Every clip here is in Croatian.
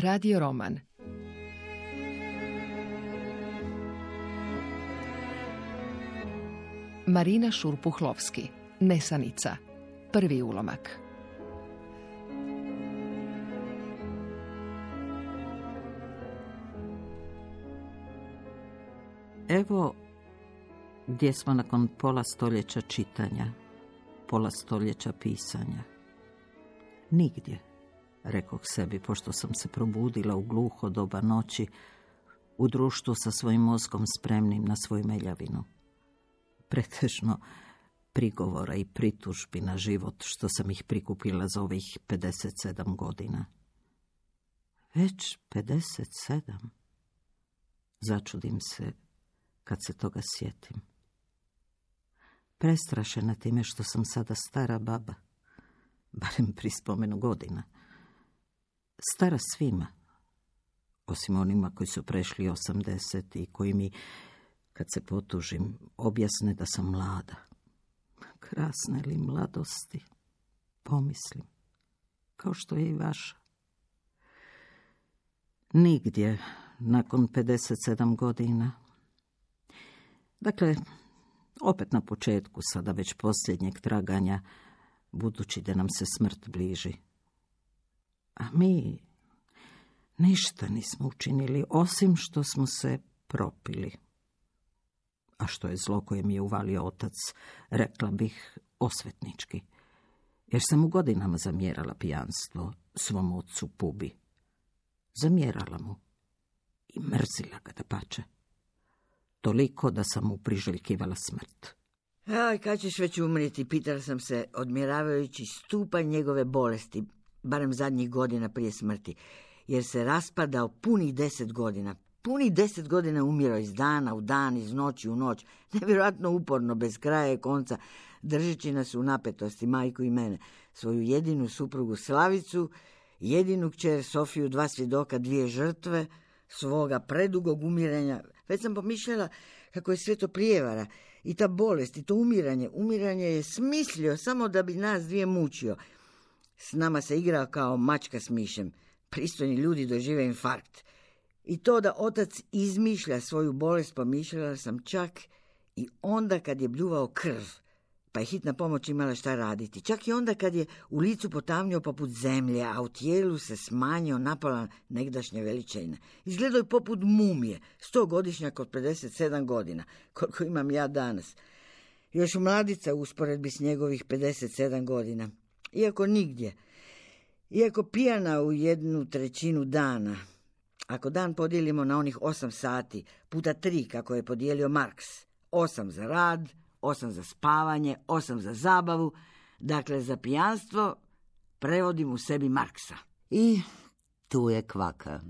Radio roman. Marina Šurpuhlovski, Nesanica. Prvi ulomak. Evo gdje smo nakon pola stoljeća čitanja, pola stoljeća pisanja. Nigdje, rekoh sebi, pošto sam se probudila u gluho doba noći, u društvu sa svojim mozgom spremnim na svoju meljavinu. Pretežno prigovora i pritužbi na život što sam ih prikupila za ovih 57 godina. Već 57? Začudim se kad se toga sjetim. Prestrašena time što sam sada stara baba, barem pri spomenu godina. Stara svima, osim onima koji su prešli 80 i koji mi, kad se potužim, objasne da sam mlada. Krasne li mladosti, pomislim, kao što je i vaša. Nigdje, nakon 57 godina. Dakle, opet na početku, sada već posljednjeg traganja, budući da nam se smrt bliži. A mi ništa nismo učinili, osim što smo se propili. A što je zlo koje mi je uvalio otac, rekla bih osvetnički. Jer sam u godinama zamjerala pijanstvo svom ocu Pubi. Zamjerala mu i mrzila ga dapače. Toliko da sam mu priželjkivala smrt. Aj, kad ćeš već umrijeti, pitala sam se, odmjeravajući stupanj njegove bolesti, barem zadnjih godina prije smrti, jer se raspadao punih 10 godina. Punih 10 godina umirao iz dana u dan, iz noći u noć, nevjerojatno uporno, bez kraja i konca, držeći nas u napetosti, majku i mene, svoju jedinu suprugu Slavicu, jedinu kćer Sofiju, 2 svjedoka, 2 žrtve, svoga predugog umiranja. Već sam pomišljala kako je sve to prijevara i ta bolest i to umiranje. Umiranje je smislio samo da bi nas 2 mučio. S nama se igrao kao mačka s mišem. Pristojni ljudi dožive infarkt. I to da otac izmišlja svoju bolest, pomišljala sam čak i onda kad je bljuvao krv, pa je hitna pomoć imala šta raditi. Čak i onda kad je u licu potamnio poput zemlje, a u tijelu se smanjio napala negdašnja veličina. Izgledao je poput mumije, 100-godišnjak od 57 godina, koliko imam ja danas. Još mladica u usporedbi s njegovih 57 godina. Iako nigdje, iako pijana u 1/3 dana. Ako dan podijelimo na onih 8 sati, puta 3 kako je podijelio Marks, 8 za rad, 8 za spavanje, 8 za zabavu, dakle za pijanstvo prevodim u sebi Marksa. I tu je kvaka,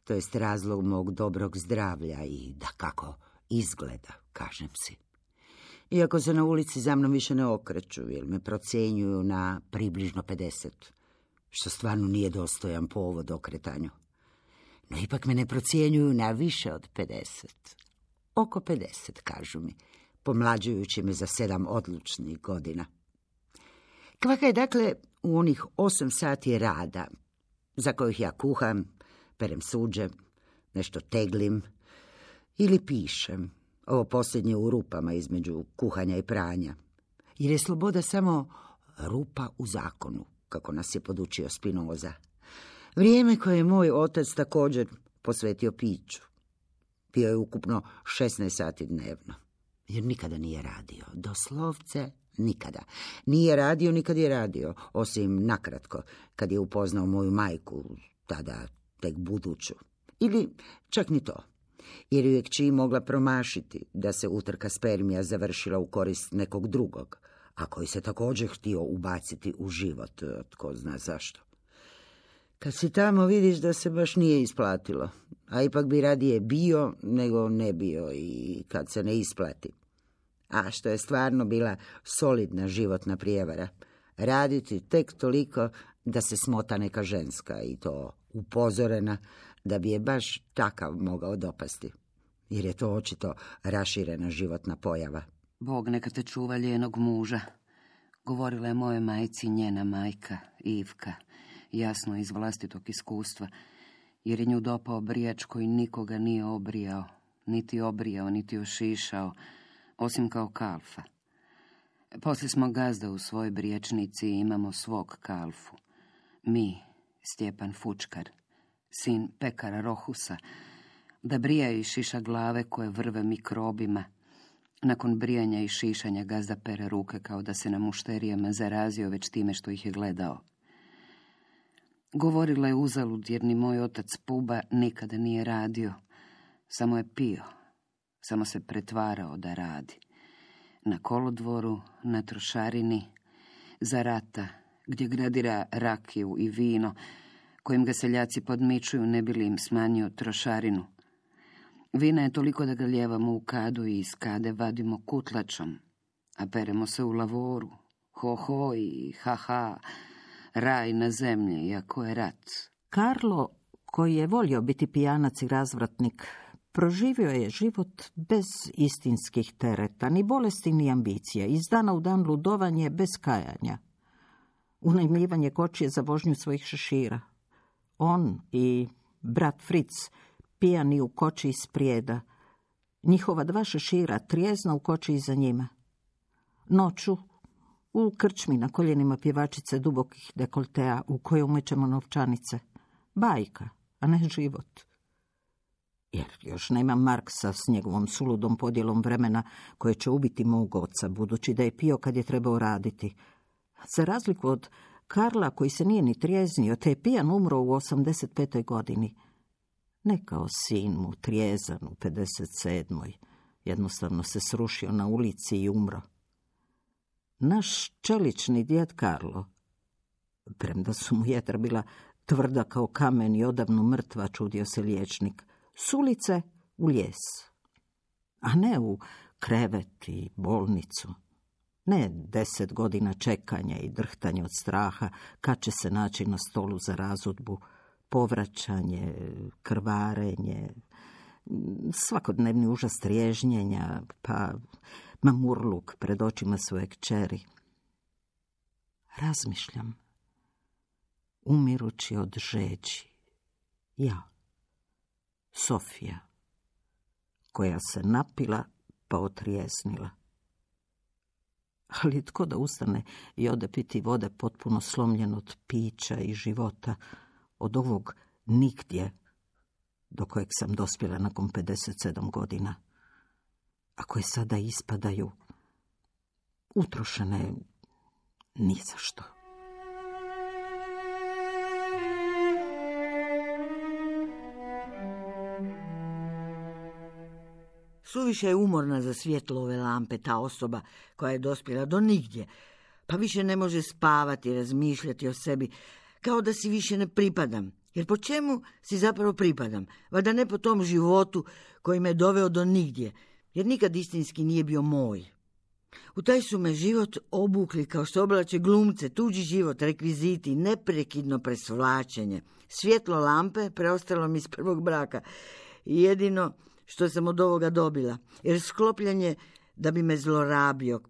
to jest razlog mog dobrog zdravlja i dakako izgleda, kažem si. Iako se na ulici za mnom više ne okreću, jer me procjenjuju na približno 50, što stvarno nije dostojan povod okretanju. No ipak me ne procjenjuju na više od 50. Oko 50, kažu mi, pomlađujući me za 7 odlučnih godina. Kvaka je dakle u onih 8 sati rada, za kojih ja kuham, perem suđe, nešto teglim ili pišem. Ovo posljednje u rupama između kuhanja i pranja. Jer je sloboda samo rupa u zakonu, kako nas je podučio Spinoza. Vrijeme koje je moj otac također posvetio piću. Pio je ukupno 16 sati dnevno. Jer nikada nije radio. Doslovce nikada. Nije radio nikad je radio, osim nakratko, kad je upoznao moju majku, tada tek buduću. Ili čak ni to. Jer ju je kći mogla promašiti da se utrka spermija završila u korist nekog drugog, a koji se također htio ubaciti u život, tko zna zašto. Kad si tamo vidiš da se baš nije isplatilo, a ipak bi radije bio nego ne bio i kad se ne isplati. A što je stvarno bila solidna životna prijevara, raditi tek toliko da se smota neka ženska i to upozorena da bi je baš takav mogao dopasti, jer je to očito raširena životna pojava. Bog neka te čuva lijenog muža, govorila je moje majci njena majka, Ivka, jasno iz vlastitog iskustva, jer je nju dopao brijač koji nikoga nije obrijao, niti ošišao, osim kao kalfa. Poslije smo gazda u svojoj brijačnici i imamo svog kalfu. Mi, Stjepan Fučkar, sin pekara Rohusa, da brija i šiša glave koje vrve mikrobima. Nakon brijanja i šišanja gazda pere ruke kao da se na mušterijama zarazio već time što ih je gledao. Govorila je uzalud jer ni moj otac Puba nikada nije radio. Samo je pio, samo se pretvarao da radi. Na kolodvoru, na trošarini, za rata, gdje gradira rakiju i vino, kojim ga seljaci podmičuju ne bi li im smanjio trošarinu. Vina je toliko da ga lijevamo u kadu i iz kade vadimo kutlačom, a peremo se u lavoru. Ho i ha, raj na zemlji, iako je rat. Karlo, koji je volio biti pijanac i razvratnik, proživio je život bez istinskih tereta, ni bolesti, ni ambicija, iz dana u dan ludovanje bez kajanja. Unajmljivanje kočije za vožnju svojih šešira. On i brat Fritz pijani u koči iz Prijeda, njihova 2 šešira trijezna u koči iza njima. Noću u krčmi na koljenima pjevačice dubokih dekoltea u koje umećemo novčanice. Bajka, a ne život. Jer još nema Marksa s njegovom suludom podjelom vremena koje će ubiti mog oca, budući da je pio kad je trebao raditi. Za razliku od Karla, koji se nije ni trijeznio, te je pijan umro u 85. godini. Ne kao sin mu, trijezan u 57. Jednostavno se srušio na ulici i umro. Naš čelični djed Karlo, premda su mu jetra bila tvrda kao kamen i odavno mrtva, čudio se liječnik, s ulice u lijes, a ne u krevet i bolnicu. Ne 10 godina čekanja i drhtanja od straha kad će se naći na stolu za razudbu, povraćanje, krvarenje, svakodnevni užas triježnjenja, pa mamurluk pred očima svoje kćeri. Razmišljam, umirući od žeđi, ja, Sofija, koja se napila pa otrijesnila. Ali tko da ustane i ode piti vode potpuno slomljen od pića i života, od ovog nigdje do kojeg sam dospjela nakon 57 godina, a koje sada ispadaju utrošene ni za što. Suviše je umorna za svjetlo ove lampe ta osoba koja je dospjela do nigdje, pa više ne može spavati, razmišljati o sebi, kao da si više ne pripadam. Jer po čemu si zapravo pripadam? Valjda ne po tom životu koji me doveo do nigdje, jer nikad istinski nije bio moj. U taj su me život obukli kao što oblače glumce, tuđi život, rekviziti, neprekidno presvlačenje. Svjetlo lampe preostalo mi iz prvog braka. Jedino što sam od ovoga dobila, jer sklopljanje da bi me zlorabio,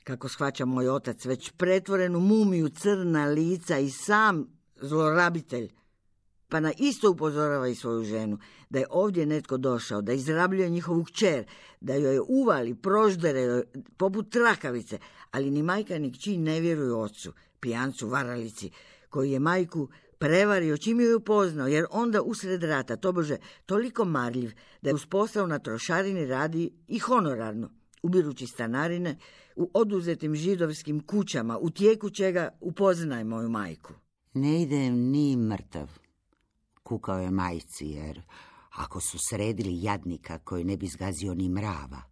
kako shvaća moj otac, već pretvoren u mumiju, crna lica i sam zlorabitelj, pa na isto upozorava i svoju ženu, da je ovdje netko došao, da izrabljuje njihovu kćer, da joj je uvali, proždere poput trakavice, ali ni majka ni kći ne vjeruju ocu, pijancu, varalici, koji je majku prevario čim ju je upoznao, jer onda usred rata, tobože toliko marljiv, da je uz posao na trošarini radi i honorarno, ubirući stanarine u oduzetim židovskim kućama, u tijeku čega upoznaje moju majku. Ne idem ni mrtav, kukao je majci, jer ako su sredili jadnika koji ne bi zgazio ni mrava,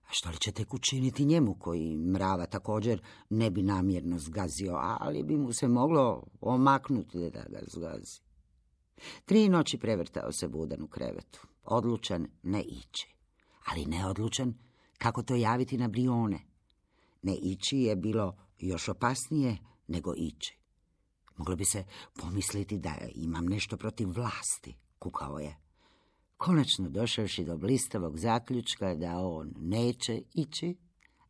a što li će tek učiniti njemu koji mrava također ne bi namjerno zgazio, ali bi mu se moglo omaknuti da ga zgazi. 3 noći prevrtao se budan u krevetu, odlučan ne ići, ali neodlučan kako to javiti na Brione. Ne ići je bilo još opasnije nego ići. Moglo bi se pomisliti da imam nešto protiv vlasti, kukao je. Konačno došavši do blistavog zaključka da on neće ići,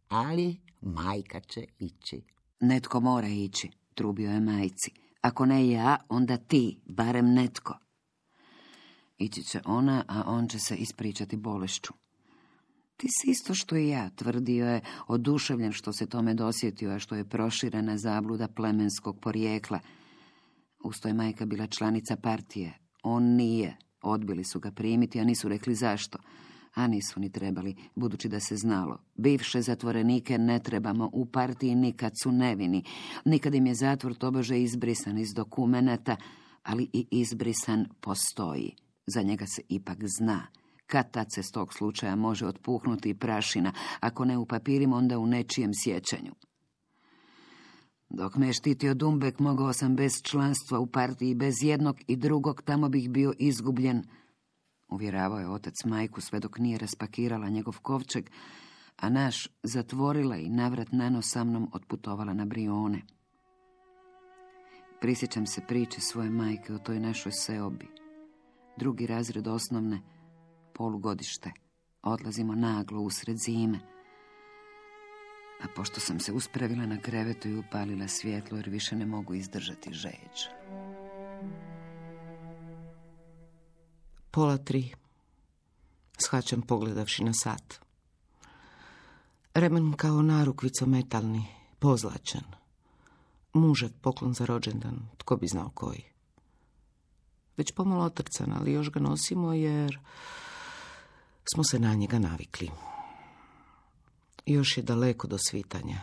ali majka će ići. Netko mora ići, trubio je majci. Ako ne ja, onda ti, barem netko. Ići će ona, a on će se ispričati bolešću. Ti si isto što i ja, tvrdio je, oduševljen što se tome dosjetio, a što je proširena zabluda plemenskog porijekla. Usto je majka bila članica partije. On nije. Odbili su ga primiti, a nisu rekli zašto. A nisu ni trebali, budući da se znalo. Bivše zatvorenike ne trebamo u partiji nikad su nevini. Nikad im je zatvor tobože izbrisan iz dokumenata, ali i izbrisan postoji. Za njega se ipak zna. Kad tad se s tog slučaja može otpuhnuti i prašina, ako ne u papirima, onda u nečijem sjećanju. Dok me je štitio Dumbek, mogao sam bez članstva u partiji, bez jednog i drugog, tamo bih bio izgubljen. Uvjeravao je otac majku sve dok nije raspakirala njegov kovčeg, a naš zatvorila i navrat nanos sa mnom otputovala na Brione. Prisjećam se priče svoje majke o toj našoj seobi. 2. razred osnovne, polugodište. Odlazimo naglo usred zime. A pošto sam se uspravila na krevetu i upalila svjetlo, jer više ne mogu izdržati žeđ. 2:30. Shvaćam pogledavši na sat. Remen kao narukvico metalni, pozlačan. Mužak poklon za rođendan, tko bi znao koji. Već pomalo otrcan, ali još ga nosimo jer smo se na njega navikli. Još je daleko do svitanja,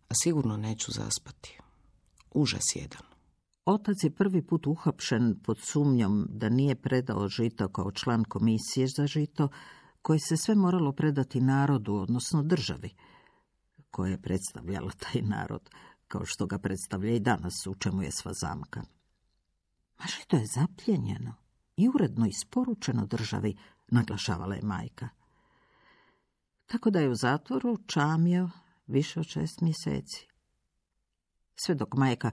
a sigurno neću zaspati. Užas jedan. Otac je prvi put uhapšen pod sumnjom da nije predao žito kao član komisije za žito, koje se sve moralo predati narodu, odnosno državi, koja je predstavljala taj narod, kao što ga predstavlja i danas, u čemu je sva zamka. A žito je zapljenjeno i uredno isporučeno državi, naglašavala je majka. Tako da je u zatvoru čamio više od 6 mjeseci. Sve dok majka,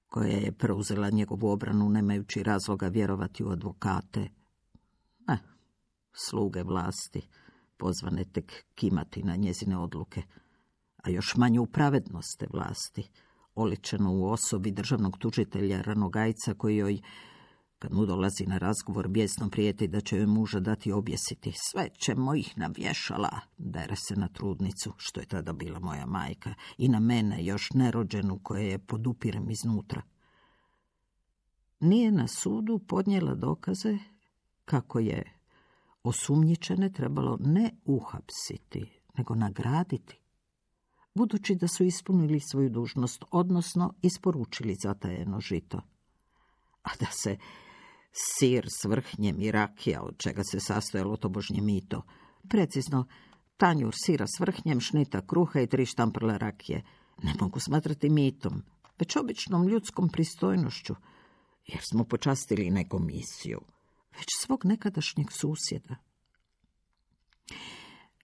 koja je preuzela njegovu obranu nemajući razloga vjerovati u advokate, sluge vlasti, pozvane tek kimati na njezine odluke, a još manje u pravednost te vlasti, oličeno u osobi državnog tužitelja Ranogajca, koji joj, kad mu dolazi na razgovor, bijesno prijeti da će joj muža dati objesiti. Sve ćemo ih navješala, dere se na trudnicu, što je tada bila moja majka, i na mene, još nerođenu, koje je podupirem iznutra. Nije na sudu podnijela dokaze kako je osumnjičene trebalo ne uhapsiti, nego nagraditi, budući da su ispunili svoju dužnost, odnosno isporučili zatajeno žito. A da se sir s vrhnjem i rakija, od čega se sastojalo tobožnje mito, precizno tanjur sira s vrhnjem, šnita kruha i 3 štamprle rakije, ne mogu smatrati mitom, već običnom ljudskom pristojnošću, jer smo počastili ne komisiju, već svog nekadašnjeg susjeda.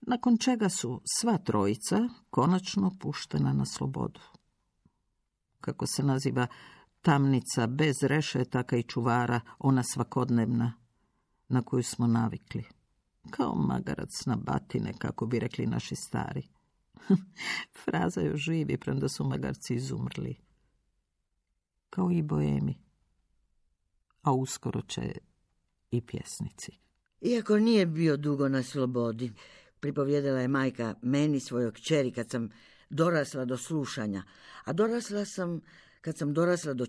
Nakon čega su sva trojica konačno puštena na slobodu. Kako se naziva tamnica bez rešetaka i čuvara, ona svakodnevna, na koju smo navikli. Kao magarac na batine, kako bi rekli naši stari. Fraza još živi, premda su magarci izumrli. Kao i boemi. A uskoro će i pjesnici. Iako nije bio dugo na slobodi, pripovjedala je majka meni, svojoj kćeri, kad sam dorasla do slušanja. A dorasla sam kad sam dorasla do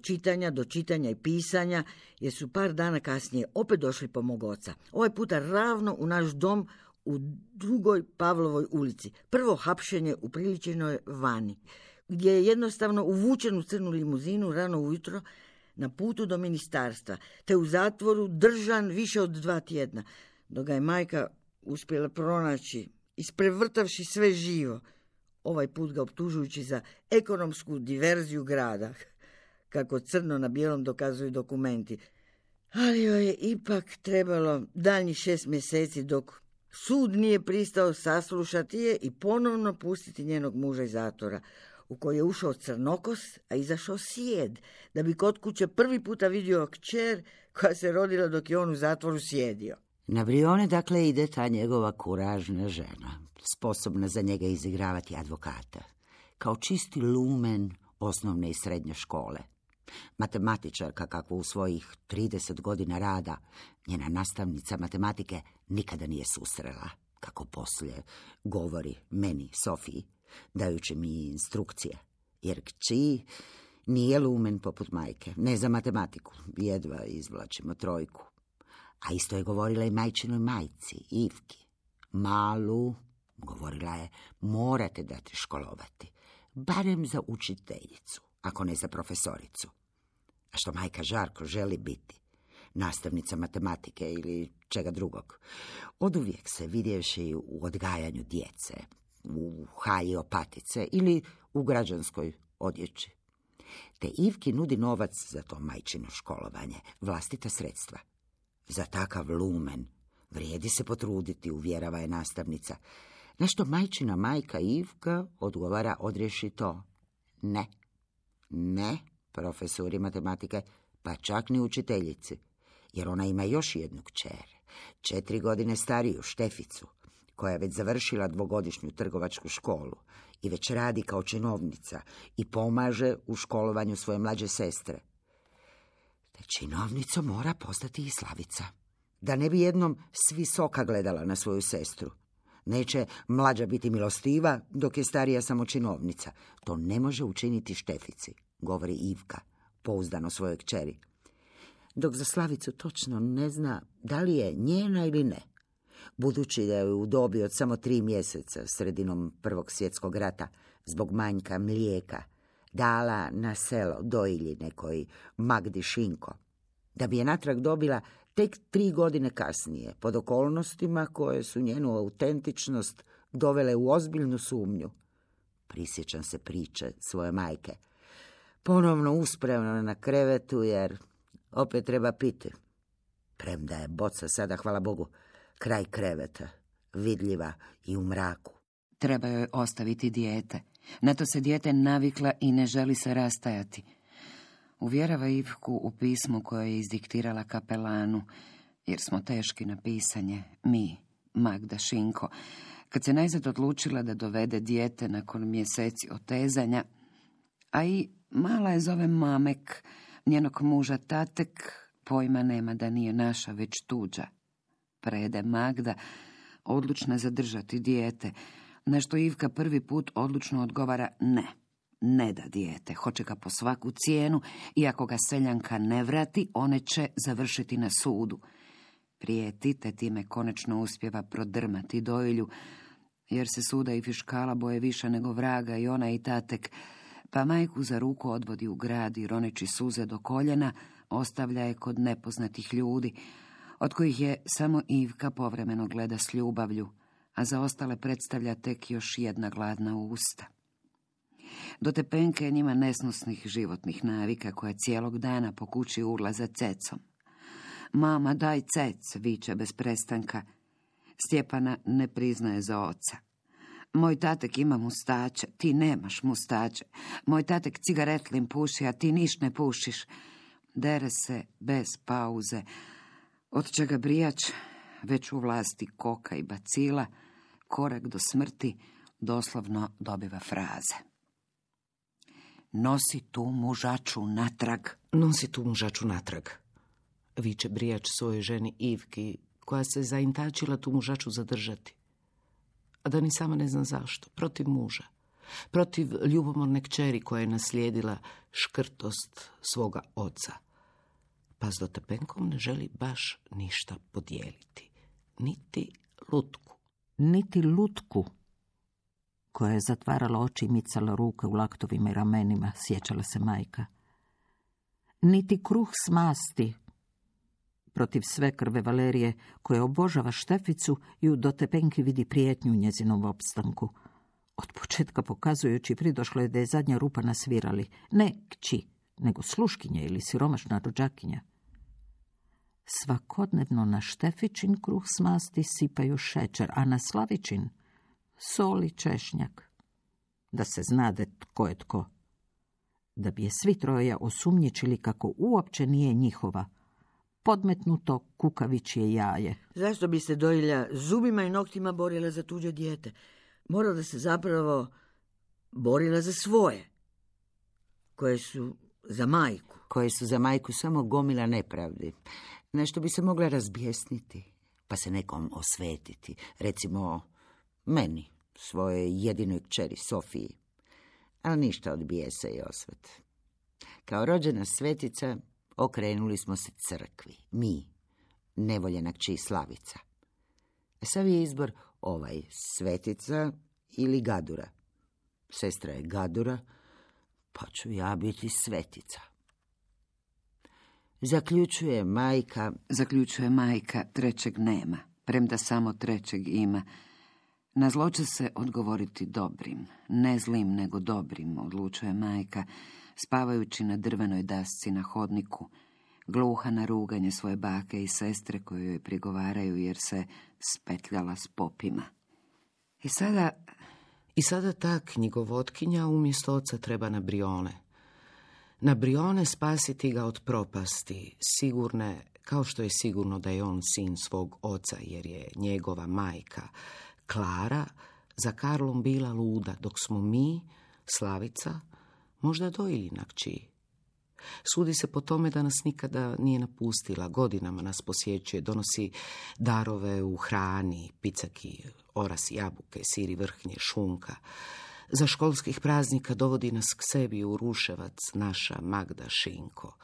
čitanja i pisanja, jer su par dana kasnije opet došli po mog oca. Ovaj puta ravno u naš dom u 2. Pavlovoj ulici. Prvo hapšenje upriličenoj vani, gdje je jednostavno uvučen u crnu limuzinu rano ujutro na putu do ministarstva, te u zatvoru držan više od 2 tjedna, dok ga je majka uspjela pronaći, isprevrtavši sve živo, ovaj put ga optužujući za ekonomsku diverziju grada, kako crno na bijelom dokazuju dokumenti. Ali joj je ipak trebalo daljnjih 6 mjeseci dok sud nije pristao saslušati je i ponovno pustiti njenog muža iz zatvora, u koji je ušao crnokos, a izašao sjed, da bi kod kuće prvi puta vidio kćer koja se rodila dok je on u zatvoru sjedio. Na Brione, dakle, ide ta njegova kuražna žena, sposobna za njega izigravati advokata, kao čisti lumen osnovne i srednje škole. Matematičarka kakvu u svojih 30 godina rada njena nastavnica matematike nikada nije susrela, kako poslije govori meni, Sofiji, dajući mi instrukcije. Jer kći nije lumen poput majke, ne za matematiku, jedva izvlačimo 3. A isto je govorila i majčinoj majci, Ivki. Malu, govorila je, morate dati školovati, barem za učiteljicu, ako ne za profesoricu. A što majka žarko želi biti, nastavnica matematike ili čega drugog. Oduvijek se vidjevši u odgajanju djece, u haji opatice ili u građanskoj odjeći. Te Ivki nudi novac za to majčino školovanje, vlastita sredstva. Za takav lumen vrijedi se potruditi, uvjerava je nastavnica. Na što majčina majka Ivka odgovara odrješito: ne, profesori matematike, pa čak ni učiteljici, jer ona ima još jednu kćer, 4 godine stariju, Šteficu, koja je već završila 2-godišnju trgovačku školu i već radi kao činovnica i pomaže u školovanju svoje mlađe sestre. Te činovnica mora postati i Slavica, da ne bi jednom s visoka gledala na svoju sestru. Neće mlađa biti milostiva, dok je starija samo činovnica. To ne može učiniti Štefici, govori Ivka, pouzdano svojoj kćeri. Dok za Slavicu točno ne zna da li je njena ili ne, budući da je u dobi od samo 3 mjeseca, sredinom Prvog svjetskog rata, zbog manjka mlijeka, dala na selo dojilji nekoj Magdi Šinko, da bi je natrag dobila tek 3 godine kasnije, pod okolnostima koje su njenu autentičnost dovele u ozbiljnu sumnju. Prisjećam se priče svoje majke. Ponovno uspravno na krevetu, jer opet treba piti. Premda je boca sada, hvala Bogu, kraj kreveta, vidljiva i u mraku. Treba joj ostaviti dijete. Na to se dijete navikla i ne želi se rastajati. Uvjerava Ivku u pismu koje je izdiktirala kapelanu, jer smo teški na pisanje, mi, Magda Šinko. Kad se najzad odlučila da dovede dijete nakon mjeseci otezanja, a i mala je zove Mamek, njenog muža Tatek, pojma nema da nije naša, već tuđa. Prede Magda, odlučna zadržati dijete, na što Ivka prvi put odlučno odgovara ne da dijete, hoće ga po svaku cijenu i ako ga seljanka ne vrati, one će završiti na sudu. Prijeti, te time konačno uspjeva prodrmati dojilju, jer se suda i fiškala boje više nego vraga i ona i Tatek, pa majku za ruku odvodi u grad i roneći suze do koljena, ostavlja je kod nepoznatih ljudi, od kojih je samo Ivka povremeno gleda s ljubavlju, a za ostale predstavlja tek još jedna gladna usta. Do Tepenke je njima nesnosnih životnih navika koja cijelog dana po kući urla za cecom. Mama, daj cec, viče bez prestanka. Stjepana ne priznaje za oca. Moj tatek ima mustače, ti nemaš mustače. Moj tatek cigaretlin puši, a ti niš ne pušiš. Dere se bez pauze, od čega brijač, već u vlasti koka i bacila, korak do smrti, doslovno dobiva fraze. Nosi tu mužaču natrag. Nosi tu mužaču natrag, viče brijač svojoj ženi Ivki, koja se zaintačila tu mužaču zadržati. A da ni sama ne zna zašto, protiv muža, protiv ljubomorne kćeri koja je naslijedila škrtost svoga oca. Pa s Dotepenkom ne želi baš ništa podijeliti, niti lutku. Niti lutku, koja je zatvarala oči i micala ruke u laktovima i ramenima, sjećala se majka. Niti kruh s masti, protiv svekrve Valerije, koja obožava Šteficu i u Dotepenki vidi prijetnju u njezinom opstanku. Od početka pokazujući pridošlo je da je zadnja rupa na svirali, ne kći, nego sluškinja ili siromašna rođakinja. Svakodnevno na Štefičin kruh s masti sipaju šećer, a na Slavičin sol i češnjak. Da se znade tko je tko. Da bi je svi troje osumnjičili kako uopće nije njihova. Podmetnuto kukavičje jaje. Zašto bi se dojilja zubima i noktima borila za tuđe dijete? Morala da se zapravo borila za svoje, koje su za majku. Koje su za majku samo gomila nepravdi. Nešto bi se mogla razbjesniti, pa se nekom osvetiti. Recimo, meni, svoje jedinoj kćeri Sofiji. Ali ništa od bijesa i osvet. Kao rođena svetica, okrenuli smo se crkvi. Mi, nevoljena kći Slavica. Sav je izbor ovaj, svetica ili gadura. Sestra je gadura, pa ću ja biti svetica. Zaključuje majka, trećeg nema, premda samo trećeg ima. Na zlo će se odgovoriti dobrim, ne zlim nego dobrim, odlučuje majka, spavajući na drvenoj dasci na hodniku, gluha na ruganje svoje bake i sestre koje joj prigovaraju jer se spetljala s popima. I sada ta knjigovotkinja umjesto oca treba na Brione. Na Brione spasiti ga od propasti, sigurne, kao što je sigurno da je on sin svog oca, jer je njegova majka, Klara, za Karlom bila luda, dok smo mi, Slavica, možda dojili na kći. Sudi se po tome da nas nikada nije napustila, godinama nas posjećuje, donosi darove u hrani, picaki, orasi, jabuke, sir i vrhnje, šunka. Za školskih praznika dovodi nas k sebi u Ruševac, naša Magda Šinko,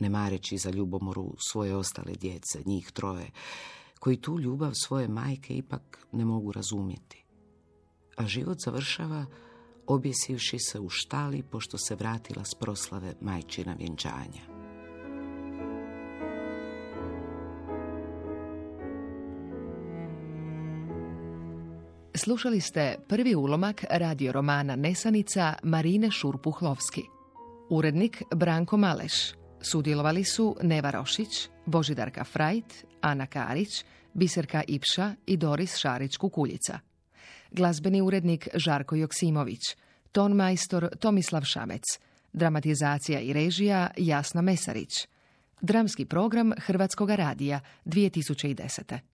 ne mareći za ljubomoru svoje ostale djece, njih troje, koji tu ljubav svoje majke ipak ne mogu razumjeti. A život završava objesivši se u štali pošto se vratila s proslave majčina vjenčanja. Slušali ste prvi ulomak radio romana Nesanica Marine Šurpuhlovski. Urednik Branko Maleš. Sudjelovali su Neva Rošić, Božidarka Frajt, Ana Karić, Biserka Ipša i Doris Šarić-Kukuljica. Glazbeni urednik Žarko Joksimović, ton majstor Tomislav Šamec, dramatizacija i režija Jasna Mesarić. Dramski program Hrvatskoga radija 2010.